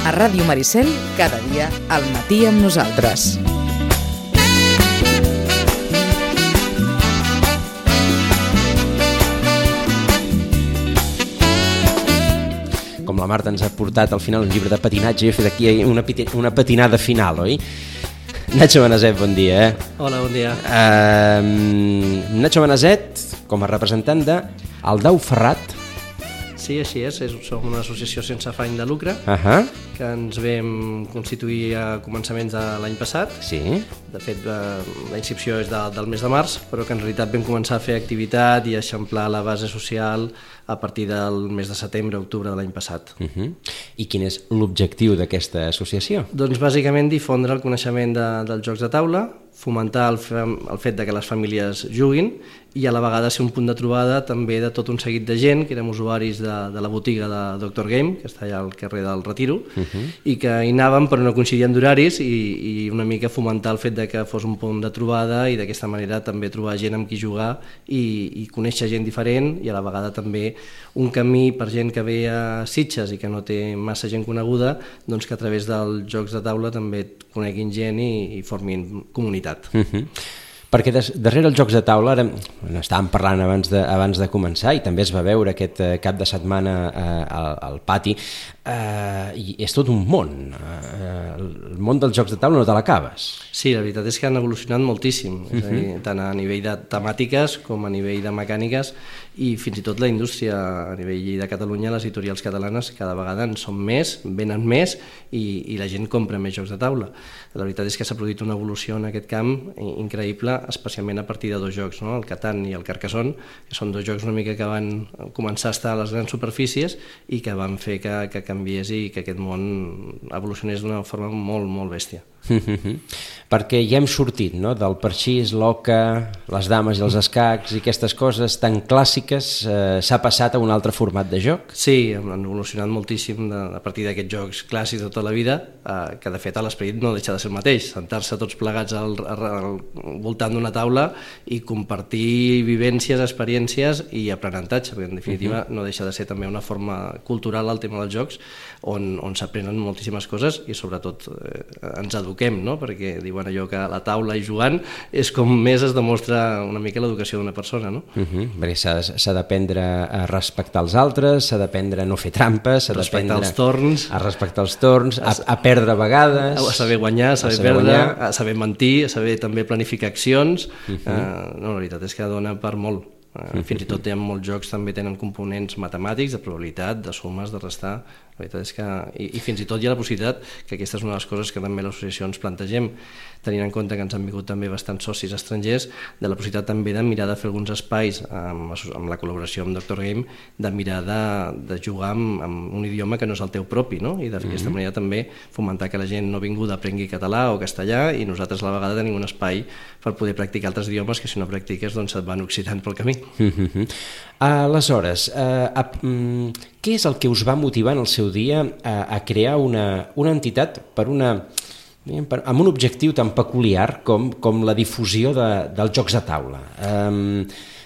A Ràdio Maricel, cada dia al matí amb nosaltres. Com la Marta ens ha portat al final un llibre de patinatge, jo he fet aquí una patinada final, oi? Nacho Benazet, bon dia. Hola, bon dia. Nacho Benazet, com a representant de Aldau Ferrat. Sí, així és. Som una associació sense afany de lucre que ens vam constituir a començaments de l'any passat. Sí. De fet, la inscripció és del mes de març, però que en realitat vam començar a fer activitat i a eixamplar la base social a partir del mes de setembre-octubre de l'any passat. I quin és l'objectiu d'aquesta associació? Doncs bàsicament difondre el coneixement dels jocs de taula, fomentar el fet de que les famílies juguin i a la vegada ser un punt de trobada també de tot un seguit de gent que érem usuaris de la botiga de Dr. Game, que està allà al carrer del Retiro, i que hi anàvem però no coincidien d'horaris i una mica fomentar el fet de que fos un punt de trobada i d'aquesta manera també trobar gent amb qui jugar i conèixer gent diferent i a la vegada també un camí per gent que ve a Sitges i que no té massa gent coneguda, doncs que a través dels jocs de taula també coneguin gent i formin comunitat. Perquè darrere els jocs de taula, ara estàvem parlant abans de començar i també es va veure aquest cap de setmana al pati, i és tot un món. El món dels jocs de taula no te l'acabes. Sí, la veritat és que han evolucionat moltíssim, és a dir, tant a nivell de temàtiques com a nivell de mecàniques i fins i tot la indústria a nivell de Catalunya, les editorials catalanes cada vegada en són més, venen més i la gent compra més jocs de taula. La veritat és que s'ha produït una evolució en aquest camp increïble, especialment a partir de dos jocs, no? El Catan i el Carcassonne, que són dos jocs una mica que van començar a estar a les grans superfícies i que van fer que canviés i que aquest món evolucionés d'una forma molt, molt bèstia. Perquè ja hem sortit, no?, del parxís, l'oca, les dames i els escacs i aquestes coses tan clàssiques, s'ha passat a un altre format de joc? Sí, han evolucionat moltíssim a partir d'aquests jocs clàssics de tota la vida, que de fet l'esperit no deixa de ser el mateix, sentar-se tots plegats al voltant d'una taula i compartir vivències, experiències i aprenentatge, perquè en definitiva no deixa de ser també una forma cultural el tema dels jocs on s'aprenen moltíssimes coses i sobretot ens eduquem, no? Perquè diuen allò que a la taula i jugant és com més es demostra una mica l'educació d'una persona, no? Perquè s'ha d'aprendre a respectar els altres, s'ha d'aprendre a no fer trampes, s'ha d'aprendre a respectar els torns, a perdre a vegades, a saber guanyar, a saber perdre, a saber mentir, a saber també planificar accions. La veritat és que dona per molt. Fins i tot molts jocs també tenen components matemàtics, de probabilitat, de sumes, de restar. La veritat és que, i fins i tot hi ha la possibilitat, que aquesta és una de les coses que també l'associació ens plantegem, tenint en compte que ens han vingut també bastants socis estrangers, de la possibilitat també de mirar de fer alguns espais amb la col·laboració amb Dr. Game, de mirar de jugar amb un idioma que no és el teu propi, no? I d'aquesta manera també fomentar que la gent no vinguda aprengui català o castellà i nosaltres a la vegada tenim un espai per poder practicar altres idiomes que si no practiques doncs et van oxidant pel camí. Aleshores, què és el que us va motivar en el seu dia a crear una entitat amb un objectiu tan peculiar com la difusió dels jocs de taula?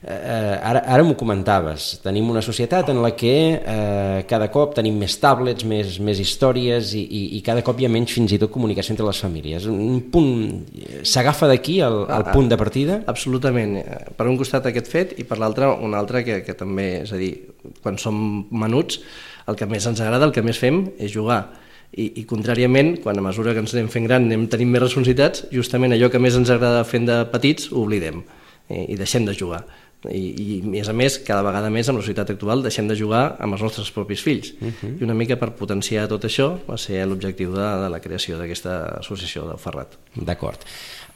Ara m'ho comentaves, tenim una societat en la que cada cop tenim més tablets, més històries i cada cop hi ha menys fins i tot comunicació entre les famílies. S'agafa d'aquí el punt de partida? Absolutament. Per un costat aquest fet i per l'altre un altre que també, és a dir, quan som menuts el que més ens agrada, el que més fem és jugar. I contràriament, quan a mesura que ens anem fent gran tenim més responsabilitats, justament allò que més ens agrada fent de petits ho oblidem i deixem de jugar. I a més, cada vegada més amb la societat actual deixem de jugar amb els nostres propis fills. I una mica per potenciar tot això va ser l'objectiu de la creació d'aquesta associació del Ferrat. D'acord.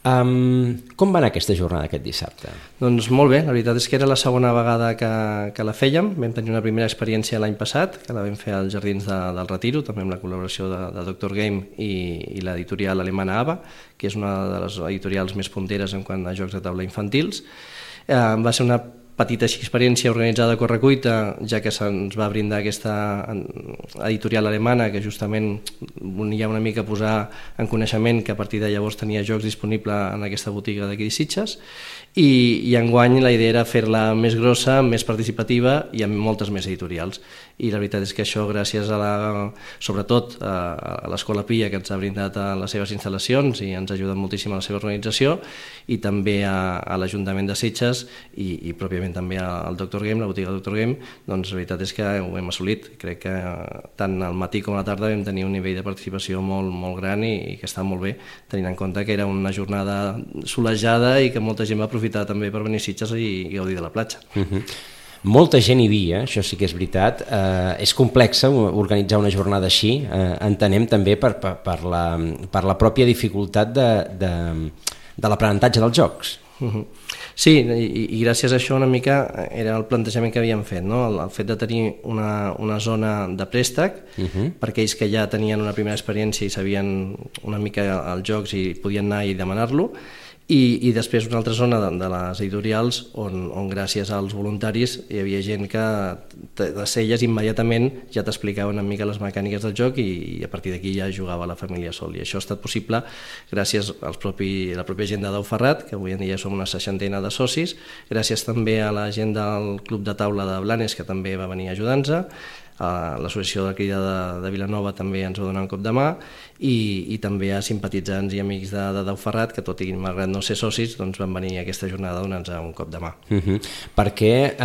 Com va anar aquesta jornada aquest dissabte? Doncs molt bé, la veritat és que era la segona vegada que la fèiem. Vam tenir una primera experiència l'any passat, que la vam fer als Jardins del Retiro, també amb la col·laboració de Dr. Game i l'editorial alemana ABA, que és una de les editorials més punteres en quant a jocs de taula infantils. Va ser una petita experiència organitzada a correcuita, ja que se'ns va brindar aquesta editorial alemana que justament volia una mica posar en coneixement que a partir de llavors tenia jocs disponibles en aquesta botiga d'aquí de Sitges, i enguany la idea era fer-la més grossa, més participativa i amb moltes més editorials. I la veritat és que això, gràcies sobretot a l'Escola Pia, que ens ha brindat a les seves instal·lacions i ens ha ajudat moltíssim a la seva organització, i també a l'Ajuntament de Sitges i pròpiament també al Dr. Game, la botiga Dr. Game, doncs la veritat és que ho hem assolit. Crec que tant al matí com a la tarda vam tenir un nivell de participació molt, molt gran i que està molt bé, tenint en compte que era una jornada solejada i que molta gent va aprofitar també per venir a Sitges i gaudir de la platja. Molta gent hi havia, això sí que és veritat. És complex organitzar una jornada així, entenem també per la pròpia dificultat de l'aprenentatge dels jocs. Sí, i gràcies a això una mica era el plantejament que havíem fet, no? El fet de tenir una zona de préstec per aquells que ja tenien una primera experiència i sabien una mica els jocs i podien anar i demanar-lo, i després una altra zona de les editorials on gràcies als voluntaris hi havia gent que de celles immediatament ja t'explicava una mica les mecàniques del joc i a partir d'aquí ja jugava la família sol, i això ha estat possible gràcies a la pròpia gent de Dau Ferrat, que avui en dia som una 60ena de socis, gràcies també a la gent del Club de Taula de Blanes, que també va venir a ajudar-nos, l'associació de crida de Vilanova també ens va donar un cop de mà, i també a simpatitzants i amics de Dau Ferrat, que tot i malgrat no ser socis doncs van venir a aquesta jornada a donar-nos un cop de mà. Perquè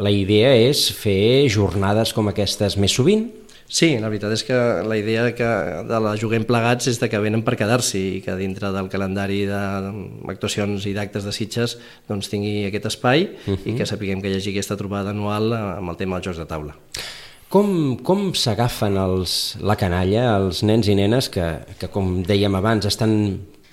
la idea és fer jornades com aquestes més sovint? Sí, la veritat és que la idea de la Juguem Plegats és que venen per quedar-s'hi i que dintre del calendari d'actuacions i d'actes de Sitges doncs tingui aquest espai i que sapiguem que hi hagi aquesta trobada anual amb el tema dels jocs de taula. Com s'agafen la canalla, els nens i nenes que com dèiem abans, estan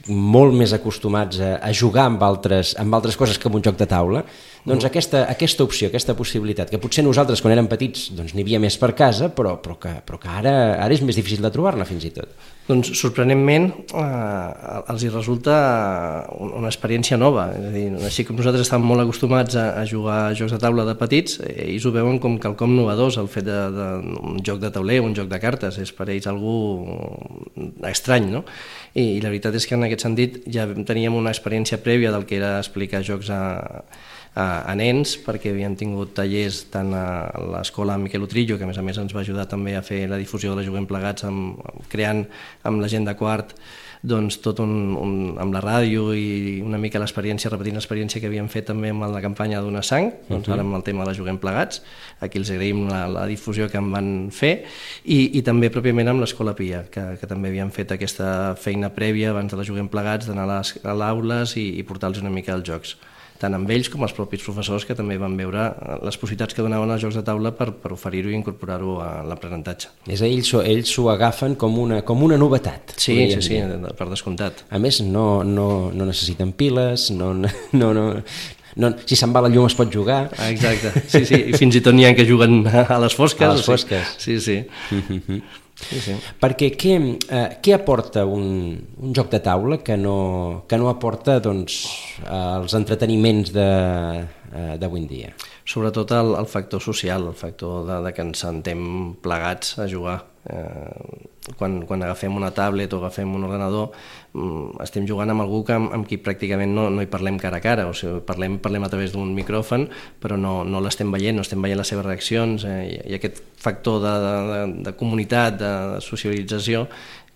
molt més acostumats a jugar amb altres coses que amb un joc de taula? Doncs aquesta opció, aquesta possibilitat, que potser nosaltres quan érem petits doncs n'hi havia més per casa, però que ara és més difícil de trobar-la fins i tot. Doncs sorprenentment els hi resulta una experiència nova, és a dir, així com nosaltres estàvem molt acostumats a jugar a jocs de taula de petits, ells ho veuen com quelcom novedós, el fet d'un joc de tauler, un joc de cartes, és per ells algú estrany, no? I la veritat és que en aquest sentit ja teníem una experiència prèvia del que era explicar jocs a nens, perquè havíem tingut tallers tant a l'escola Miquel Utrillo, que a més ens va ajudar també a fer la difusió de la Juguem Plegats, creant amb la gent de quart doncs tot amb la ràdio i una mica repetint l'experiència que havíem fet també amb la campanya Donar Sang, doncs ara amb el tema de la Juguem Plegats, aquí els agraïm la difusió que en van fer, i també pròpiament amb l'Escola Pia, que també havíem fet aquesta feina prèvia abans de la Juguem Plegats, d'anar a l'aules i portar-los una mica als jocs, tant amb ells com els propis professors, que també van veure les possibilitats que donaven els jocs de taula per oferir-ho i incorporar-ho a l'aprenentatge. És a dir, ells s'ho agafen com una novetat. Sí, per descomptat. A més, no necessiten piles, si se'n va la llum es pot jugar. Exacte, sí, i fins i tot n'hi ha que juguen a les fosques. A les fosques. Sí. Sí. Perquè què aporta un joc de taula que no aporta doncs, els entreteniments d'avui en dia? Sobretot el factor social, el factor de que ens sentem plegats a jugar. Quan agafem una tablet o agafem un ordenador estem jugant amb algú amb qui pràcticament no hi parlem cara a cara, o sigui, parlem a través d'un micròfon, però no l'estem veient, no estem veient les seves reaccions, i aquest factor de comunitat, de socialització,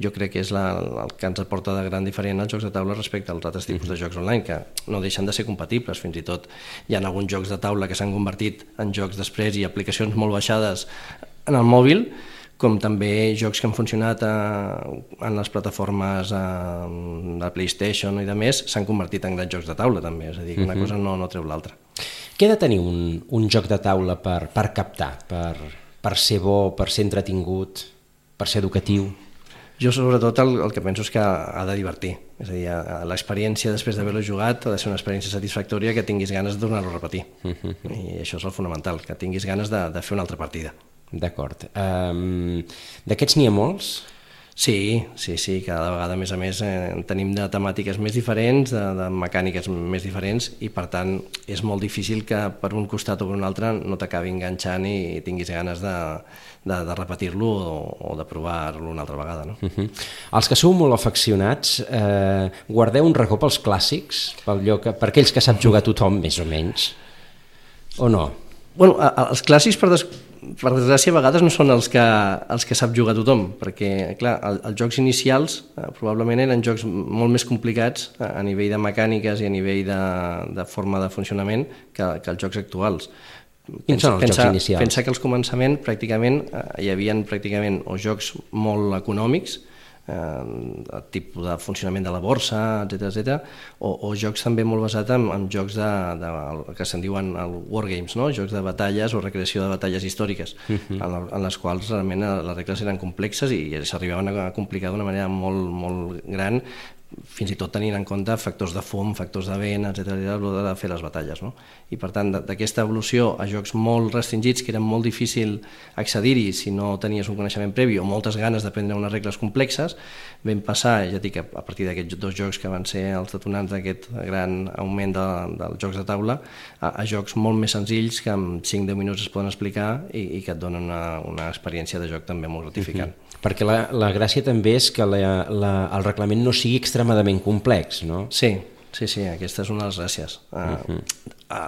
jo crec que és el que ens aporta de gran diferent als jocs de taula respecte als altres tipus de jocs online, que no deixen de ser compatibles. Fins i tot hi ha alguns jocs de taula que s'han convertit en jocs després i aplicacions molt baixades en el mòbil, com també jocs que han funcionat en les plataformes de PlayStation i de més, s'han convertit en grans jocs de taula també, és a dir, que una cosa no treu l'altra. Què ha de tenir un joc de taula per captar, per ser bo, per ser entretingut, per ser educatiu? Jo sobretot el que penso és que ha de divertir, és a dir, l'experiència després d'haver-lo jugat ha de ser una experiència satisfactòria, que tinguis ganes de tornar-lo a repetir, i això és el fonamental, que tinguis ganes de fer una altra partida. D'acord. D'aquests n'hi ha molts? Sí, cada vegada a més tenim de temàtiques més diferents, de mecàniques més diferents i per tant és molt difícil que per un costat o per un altre no t'acabi enganxant i tinguis ganes de repetir-lo o de provar-lo una altra vegada. No? Els que sou molt afeccionats, guardeu un racó pels clàssics, per aquells que sap jugar tothom més o menys, o no? Bueno, els clàssics per desgràcia a vegades no són els que sap jugar tothom, perquè clar, els jocs inicials probablement eren jocs molt més complicats a nivell de mecàniques i a nivell de forma de funcionament que els jocs actuals. Quins són els jocs inicials? Pensa que al començament pràcticament hi havia o jocs molt econòmics, el tipus de funcionament de la borsa, etc., o jocs també molt basats en jocs que se'n diuen wargames, no? Jocs de batalles o recreació de batalles històriques, en les quals realment les regles eren complexes i s'arribaven a complicar d'una manera molt, molt gran, fins i tot tenint en compte factors de fum, factors de vent, etc., a l'hora de fer les batalles. No? I per tant, d'aquesta evolució a jocs molt restringits, que era molt difícil accedir-hi si no tenies un coneixement previ o moltes ganes d'aprendre unes regles complexes, vam passar, ja dic, a partir d'aquests 2 jocs que van ser els detonants d'aquest gran augment dels jocs de taula, a jocs molt més senzills que en 5-10 minuts es poden explicar i que et donen una experiència de joc també molt gratificant. Perquè la gràcia també és que el reglament no sigui extremadament complex, no? Sí, aquesta és una de les gràcies.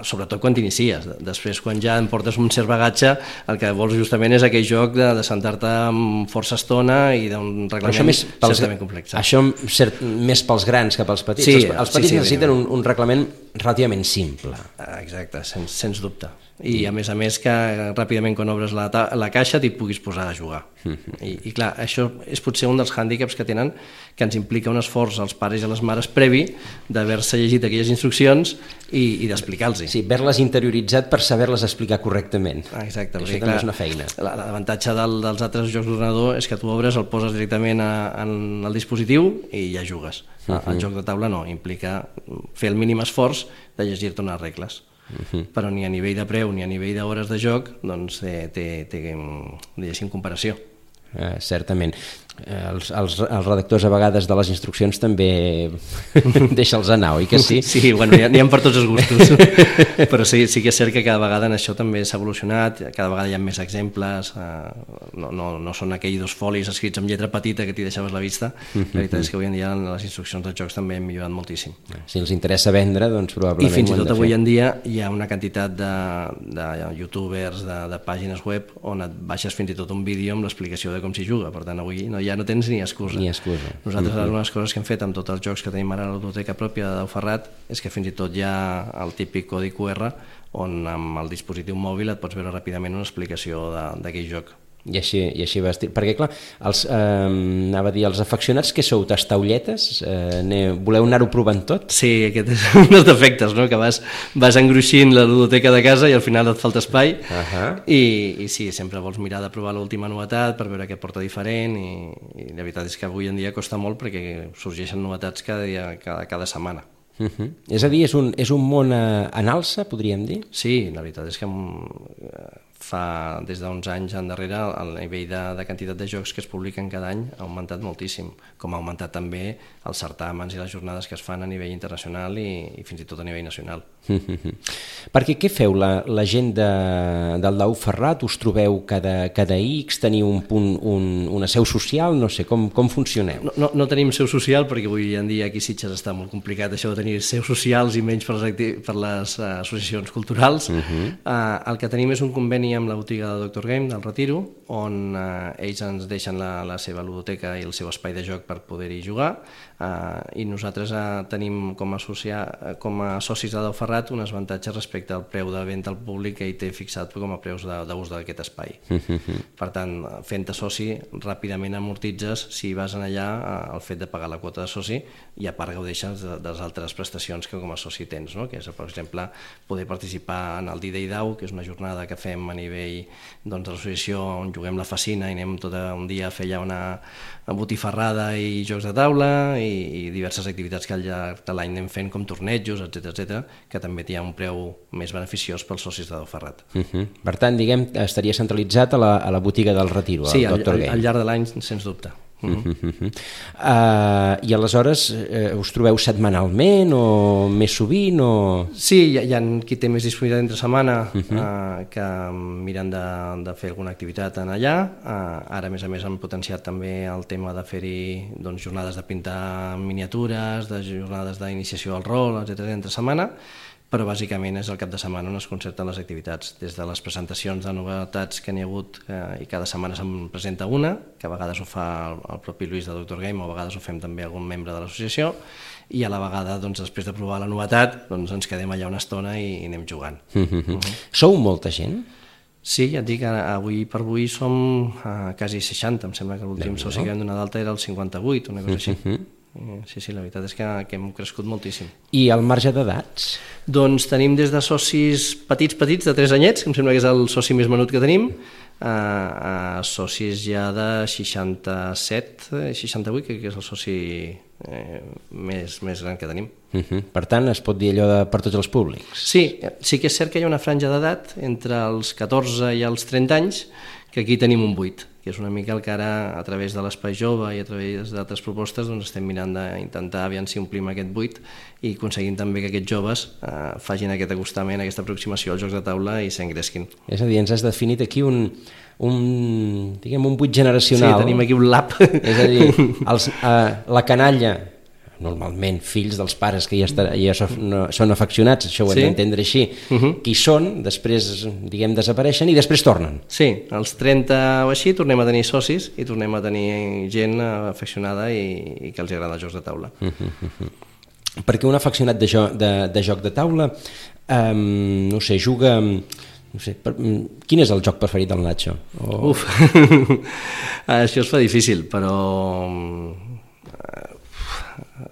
Sobretot quan t'inicies. Després, quan ja em portes un cert bagatge, el que vols justament és aquell joc de sentar-te amb força estona i d'un reglament certament complex. Això més pels grans que pels petits. Sí, els petits necessiten un reglament relativament simple. Exacte, sens dubte. I a més que ràpidament quan obres la caixa t'hi puguis posar a jugar. I clar, això és potser un dels hàndicaps que tenen, que ens implica un esforç als pares i a les mares previ d'haver-se llegit aquelles instruccions i d'explicar-los. Sí, haver-les interioritzat per saber-les explicar correctament. Exacte. Això també és una feina. L'avantatge dels altres jocs d'ordenador és que tu obres, el poses directament en el dispositiu i ja jugues. El joc de taula no, implica fer el mínim esforç de llegir-te unes regles. Però ni a nivell de preu ni a nivell d'hores de joc doncs té diguéssim comparació. Certament. Els redactors a vegades de les instruccions també deixa'ls anar, oi que sí? Sí, bueno, n'hi ha per tots els gustos. Però sí que és cert que cada vegada en això també s'ha evolucionat, cada vegada hi ha més exemples, no són aquells 2 folis escrits amb lletra petita que t'hi deixaves la vista. La veritat és que avui en dia les instruccions dels jocs també han millorat moltíssim. Si els interessa vendre, doncs probablement i fins i tot avui en dia hi ha una quantitat de youtubers, de pàgines web on et baixes fins i tot un vídeo amb l'explicació de com s'hi juga. Per tant, avui ja no tens ni excusa. Nosaltres, una de les coses que hem fet amb tots els jocs que tenim ara a la biblioteca pròpia de Dau Ferrat és que fins i tot hi ha el típic codi QR on amb el dispositiu mòbil et pots veure ràpidament una explicació d'aquell joc. I així va estar. Perquè clar, anava a dir, els afeccionats que sou tastaulletes, voleu anar-ho provant tot? Sí, aquest és un dels defectes, no? Que vas engruixint la biblioteca de casa i al final et falta espai i sí, sempre vols mirar de provar l'última novetat per veure què porta diferent i la veritat és que avui en dia costa molt perquè sorgeixen novetats cada setmana. És a dir, és un món en alça, podríem dir? Sí, la veritat és que fa des d'uns anys endarrere el nivell de quantitat de jocs que es publiquen cada any ha augmentat moltíssim, com ha augmentat també els certàmens i les jornades que es fan a nivell internacional i fins i tot a nivell nacional. Perquè què feu la gent del Dau Ferrat? Us trobeu cada X? Teniu una seu social? No sé, com funcioneu? No tenim seu social perquè avui en dia aquí a Sitges està molt complicat això de tenir seus socials i menys per les associacions culturals. El que tenim és un conveni amb la botiga de Dr. Game del Retiro, on ells ens deixen la seva ludoteca i el seu espai de joc per poder-hi jugar, i nosaltres tenim com a socis de Dau Ferrat uns avantatges respecte al preu de venda al públic que ell té fixat com a preus d'ús d'aquest espai. Per tant, fent-te soci ràpidament amortitzes si vas allà el fet de pagar la quota de soci i a part gaudeixes de les altres prestacions que com a soci tens, no? Que és, per exemple, poder participar en el D-Day Dau, que és una jornada que fem a nivell de l'associació on juguem la Facina i anem tot un dia a fer allà una botifarrada i jocs de taula i diverses activitats que al llarg de l'any anem fent com tornejos, etc., que també hi ha un preu més beneficiós pels socis de Dau Ferrat. Per tant, diguem, estaria centralitzat a la botiga del Retiro, sí, al Dr. Game. Al llarg de l'any, sens dubte. I aleshores us trobeu setmanalment o més sovint? Sí, hi ha qui té més disponibilitat entre setmana que miren de fer alguna activitat en allà. Ara, a més han potenciat també el tema de fer-hi jornades de pintar miniatures, de jornades d'iniciació al rol, etc. entre setmana, però bàsicament és el cap de setmana on es concerten les activitats, des de les presentacions de novetats que n'hi ha hagut, i cada setmana se'n presenta una, que a vegades ho fa el propi Lluís de Doctor Game, o a vegades ho fem també algun membre de l'associació, i a la vegada, després de provar la novetat, ens quedem allà una estona i anem jugant. Sou molta gent? Sí, ja et dic, avui per avui som quasi 60, em sembla que l'últim soci que vam donar d'alta era el 58, una cosa així. Sí, la veritat és que hem crescut moltíssim. I el marge d'edats? Doncs tenim des de socis petits, de 3 anyets, que em sembla que és el soci més menut que tenim, a socis ja de 67, 68, que és el soci més gran que tenim. Per tant, es pot dir allò per tots els públics? Sí que és cert que hi ha una franja d'edat entre els 14 i els 30 anys, que aquí tenim un buit, que és una mica el que ara, a través de l'Espai Jove i a través d'altres propostes, estem mirant d'intentar aviam si omplim aquest buit i aconseguim també que aquests joves facin aquest acostament, aquesta aproximació als jocs de taula i s'engresquin. És a dir, ens has definit aquí un buit generacional. Sí, tenim aquí un lab. És a dir, la canalla, normalment fills dels pares que ja són afeccionats, això ho hem d'entendre així, que hi són, després desapareixen i després tornen. Sí, als 30 o així tornem a tenir socis i tornem a tenir gent afeccionada i que els agrada els jocs de taula. Perquè un afeccionat de joc de taula, no sé, juga... Quin és el joc preferit del Nacho? Uf, això es fa difícil, però...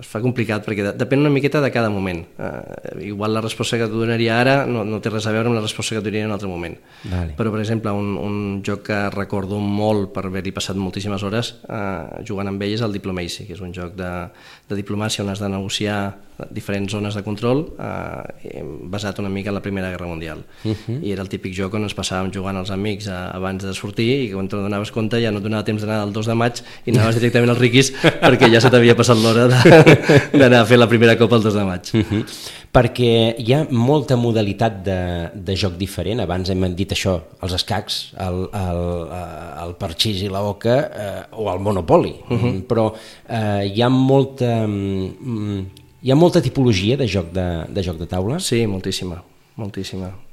es fa complicat perquè depèn una miqueta de cada moment. Igual la resposta que et donaria ara no té res a veure amb la resposta que et donaria en un altre moment. Però, per exemple, un joc que recordo molt per haver-hi passat moltíssimes hores jugant amb ell és el Diplomacy, que és un joc de diplomàcia on has de negociar diferents zones de control basat una mica en la Primera Guerra Mundial. I era el típic joc on ens passàvem jugant els amics abans de sortir i que quan te n'adonaves compte ja no et donava temps d'anar el 2 de maig i anaves directament als riquis perquè ja se t'havia passat l'hora d'anar a fer la primera copa el 2 de maig. Perquè hi ha molta modalitat de joc diferent. Abans hem dit això, els escacs, el parxís i la oca o el Monopoly, però hi ha molta tipologia de joc de taula? Sí, moltíssima.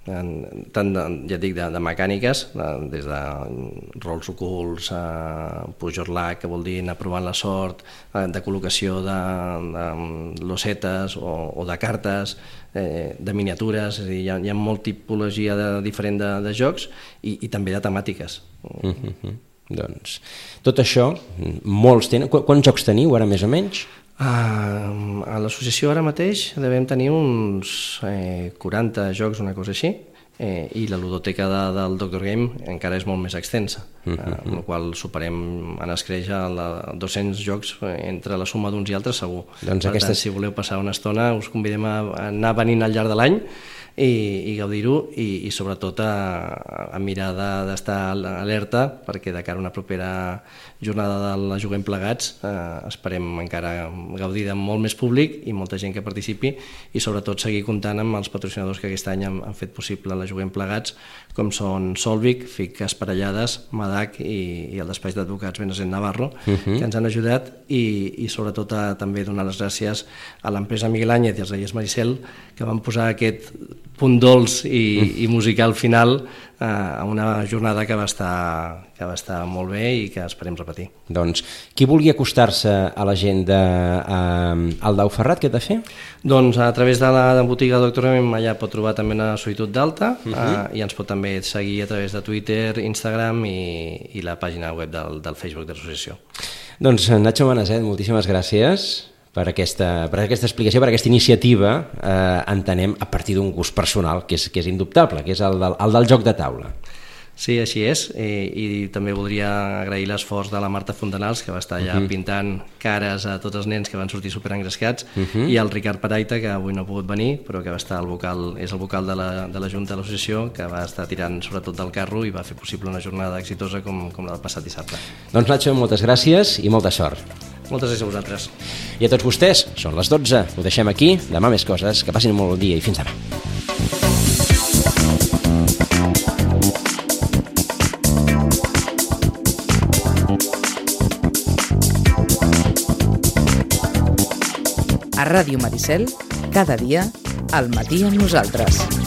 Tant, ja dic, de mecàniques, des de rols ocults, pujorlac, que vol dir anar provant la sort, de col·locació de losetes o de cartes, de miniatures, és a dir, hi ha molta tipologia diferent de jocs i també de temàtiques. Doncs tot això, molts tenen... Quants jocs teniu ara més o menys? A l'associació ara mateix devem tenir uns 40 jocs, una cosa així, i la ludoteca del Doctor Game encara és molt més extensa, amb la qual superem en escreix a 200 jocs entre la suma d'uns i altres segur. Doncs per tant, si voleu passar una estona us convidem a anar venint al llarg de l'any i gaudir-ho i sobretot a mirar d'estar alerta perquè de cara a una propera jornada de la Juguem Plegats esperem encara gaudir de molt més públic i molta gent que participi i sobretot seguir comptant amb els patrocinadors que aquest any han fet possible la Juguem Plegats, com són Solvic, FIC Esparellades, Madac i el despatx d'advocats Benazent Navarro, que ens han ajudat i sobretot també donar les gràcies a l'empresa Miguel Áñez i als Reyes Maricel que van posar aquest punt dolç i musical final a una jornada que va estar molt bé i que esperem repetir. Doncs qui vulgui acostar-se a la gent al Dau Ferrat, què ha de fer? Doncs a través de la botiga Doctor Game allà pot trobar també una solitud d'alta i ens pot també seguir a través de Twitter, Instagram i la pàgina web del Facebook de l'associació. Doncs Nacho Benazet, moltíssimes gràcies per aquesta explicació, per aquesta iniciativa, entenem a partir d'un gust personal que és indubtable, que és el del joc de taula. Sí, així és, i també voldria agrair l'esforç de la Marta Fontanals, que va estar allà pintant cares a tots els nens que van sortir superengrescats, i el Ricard Paraita, que avui no ha pogut venir, però que va estar és el vocal de la Junta de l'Associació, que va estar tirant sobretot del carro i va fer possible una jornada exitosa com la del passat dissabte. Doncs Nacho, moltes gràcies i molta sort. Moltes gràcies a vosaltres. I a tots vostès, són les 12, ho deixem aquí, demà més coses, que passin un molt bon dia i fins demà. A Ràdio Maricel, cada dia, al matí amb nosaltres.